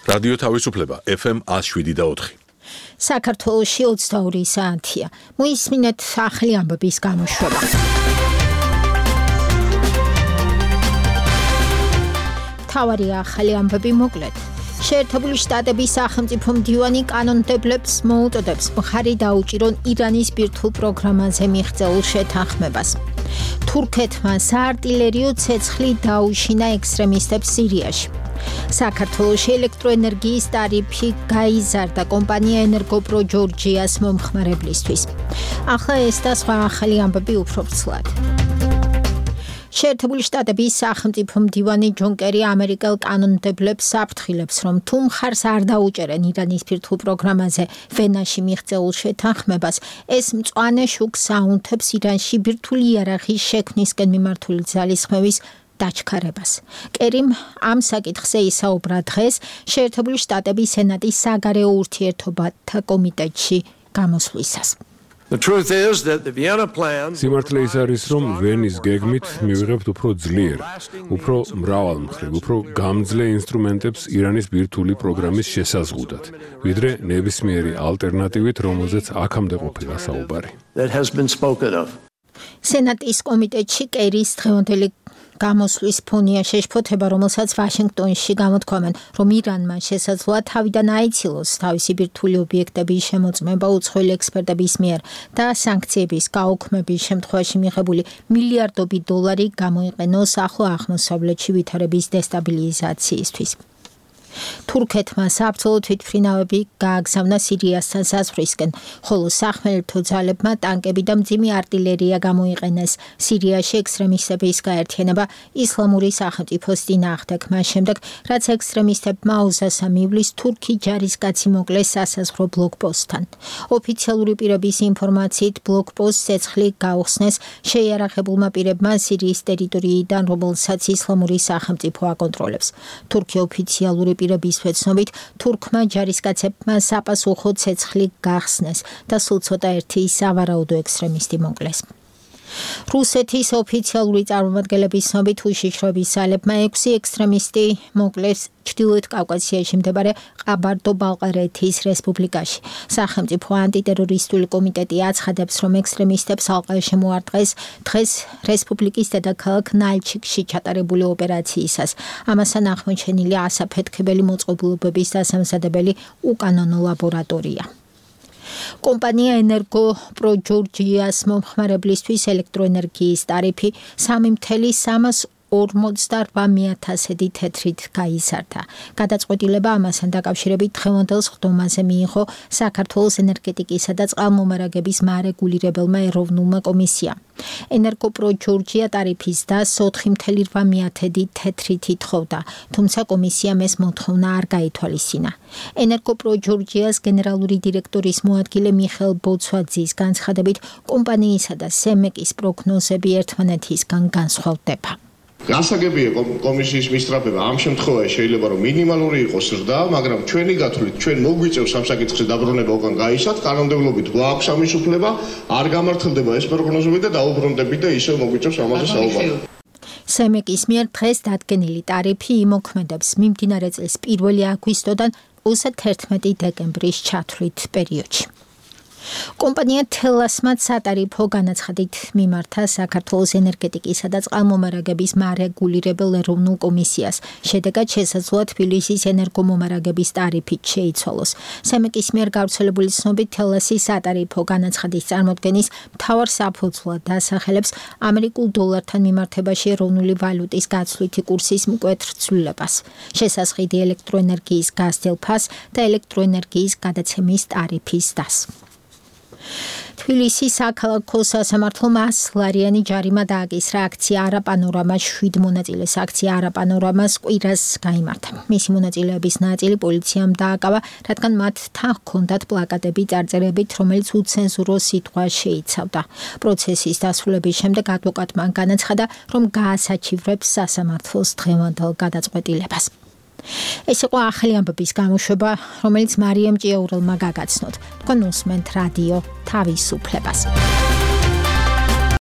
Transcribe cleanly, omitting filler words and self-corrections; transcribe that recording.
რადიო თავისუფლება FM 107.4. საქართველოში 22 საათია. მოისმინეთ ახალი ამბების გამოშვება. თავარი ახალი ამბები მოკლედ. შეერთებული შტატების სახელმწიფო მდივანი კანონმდებლებს მოუწოდებს მხარი დაუჭირონ ირანის ბირთვულ პროგრამაზე მიღწეულ შეთანხმებას. თურქეთმა საარტილერიო ცეცხლი დაუშინა ექსტრემისტებს სირიაში. საქართველოში ელექტროენერგიის ტარიფი გაიზარდა კომპანია ენერგოპრო ჯორჯიას მომხმარებლისთვის. ახლა ეს და სხვა ახალი ამბები უფრო ვრცლად. შეერთებული შტატების სახელმწიფო მდივანი ჯონ კერი ამერიკელ კანონმდებლებს საფრთხილებს, რომ თუ მხარს არ დაუჭერენ ირანის ბირთვულ პროგრამაზე ვენაში მიღწეულ შეთანხმებას, ეს მწვანე შუქს აუნთებს ირანში ბირთვული იარაღის შექმნისკენ მიმართული ძალისხმევის დაჩქარებას. კერიმ ამ საკითხზე ისაუბრა დღეს შეერთებული შტატების სენატის საგარეო ურთიერთობათა კომიტეტში გამოსვლისას. სიმართლე ის არის, რომ ვენის გეგმით მივიღებთ უფრო ძლიერ, უფრო მრავალმხრივ, უფრო გამძლე ინსტრუმენტებს ირანის ბირთვული პროგრამის შესაზღუდად, ვიდრე ნებისმიერი ალტერნატივით, რომელზეც აქამდე ყოფილა საუბარი. სენატის კომიტეტში კერის დღევანდელი გამოსვლის ფონია შეშფოთება, რომელსაც ვაშინგტონში გამოთქვამენ, რომ ირანმა შესაძლოა თავიდან აიცილოს თავისი ბირთვული ობიექტების შემოწმება უცხოელი ექსპერტების მიერ და სანქციების გაუქმების შემთხვევაში მიღებული მილიარდობით დოლარი გამოიყენოს ახლო აღმოსავლეთში ვითარების დესტაბილიზაციისთვის. თურქეთმა საბრძოლო თვითმფრინავები გააგზავნა სირიასთან საზღვრისკენ, ხოლო სახმელეთო ძალებმა ტანკები და მძიმე არტილერია გამოიყენეს სირიაში ექსტრემისტების გაერთიანება ისლამური სახელმწიფოს წინააღმდეგ, მას შემდეგ, რაც ექსტრემისტებმა 23 ივლისს თურქი ჯარისკაცი მოკლეს სასაზღვრო ბლოკპოსტთან. ოფიციალური პირების ინფორმაციით ბლოკპოსტს ცეცხლი გაუხსნეს შეიარაღებულმა პირებმა სირიის ტერიტორიიდან, რომელსაც ისლამური სახელმწიფო აკონტროლებს. თურქი ოფიციალური პირების ვეცნობით, თურქმა ჯარისკაცებმა საპასუხო ცეცხლი გახსნეს და სულ ცოტა ერთი სავარაუდო ექსტრემისტი მოკლეს. რუსეთის ოფიციალური წარმომადგენლების ცნობით, უშიშროების ძალებმა 6 ექსტრემისტი მოკლეს ჩრდილოეთ კავკასიაში მდებარე ყაბარდო-ბალყარეთის რესპუბლიკაში. სახელმწიფო ანტიტერორისტული კომიტეტი აცხადებს, რომ ექსტრემისტებს ალყა შემოარტყეს დღეს რესპუბლიკის დედაქალაქ ნალჩიკში ჩატარებული ოპერაციისას. ამასთან აღმოჩენილი ასაფეთქებელი მოწყობილობების დასამზადებელი უკანონო ლაბორატორია. კომპანია ენერგოპრო ჯორჯიას მომხმარებლისთვის ელექტროენერგიის ტარიფი 3,348,000 თეთრით გაიზარდა. გადაწყვეტილება ამასთან დაკავშირებით დღევანდელ სხდომაზე მიიღო საქართველოს ენერგეტიკისა და წყალმომარაგების მარეგულირებელმა ეროვნულმა კომისიამ. ენერგოპრო ჯორჯია ტარიფის დასს 4,8 თეთრით ითხოვდა, თუმცა კომისიამ ეს მოთხოვნა არ გაითვალისწინა. ენერგოპრო ჯორჯიას გენერალური დირექტორის მოადგილე მიხეილ ბოცვაძის განცხადებით, კომპანიისა და სემეკის პროგნოზები ერთმანეთისგან განსხვავდება. გასაგებია კომისიის მისწრაფება ამ შემთხვევაში შეიძლება რომ მინიმალური იყოს ზრდა, მაგრამ ჩვენი გათვლით ჩვენ მოგვიწევს ამ საკითხზე დაბრუნება უკან გაისად, კანონმდებლობით გვაქვს ამის უფლება, არ გამართლდება ეს პროგნოზები და დაუბრუნდებით და ისევ მოგვიწევს ამაზე საუბარი. სემეკის მიერ დღეს დადგენილი ტარიფი იმოქმედებს მიმდინარე წლის 1 აგვისტოდან 31 დეკემბრის ჩათვლით პერიოდში. კომპანია თელასმა სატარიფო განაცხადით მიმართა საქართველოს ენერგეტიკისა და წყალმომარაგების მარეგულირებელ ეროვნულ კომისიას. შედეგად შესაძლოა თბილისის ენერგომომარაგების ტარიფით შეიცვალოს. სემეკის მიერ გავრცელებული ცნობით, თელასის სატარიფო განაცხადის წარმოდგენის მთავარ საფუძვლად დასახელებს ამერიკულ დოლართან მიმართებაში ეროვნული ვალუტის გაცვლითი კურსის მკვეთრ ცვლილებას, შესაძღიდი ელექტროენერგიის გაზრდილ ფასს და ელექტროენერგიის გადაცემის ტარიფის დასს. თბილისის საქალაქო სასამართლომ 100 ლარიანი ჯარიმა დააკისრა აქცია არაპანორამას 7 მონაწილეს აქცია არაპანორამას კვირას გაიმართა. მისი მონაწილეების ნაწილი პოლიციამ დააკავა, რადგან მათ თან ჰქონდათ პლაკატები წარწერებით, რომელიც უცენზურო სიტყვა შეიცავდა. პროცესის დასრულების შემდეგ ადვოკატმა განაცხადა, რომ გაასაჩივრებს სასამართლოს დღევანდელ გადაწყვეტილებას. ეს იყო ახალი ამბების გამოშვება, რომელიც მარიამ ჭიაურელმა გაგაცნოთ. თქვენ უსმენთ რადიო თავისუფლებას.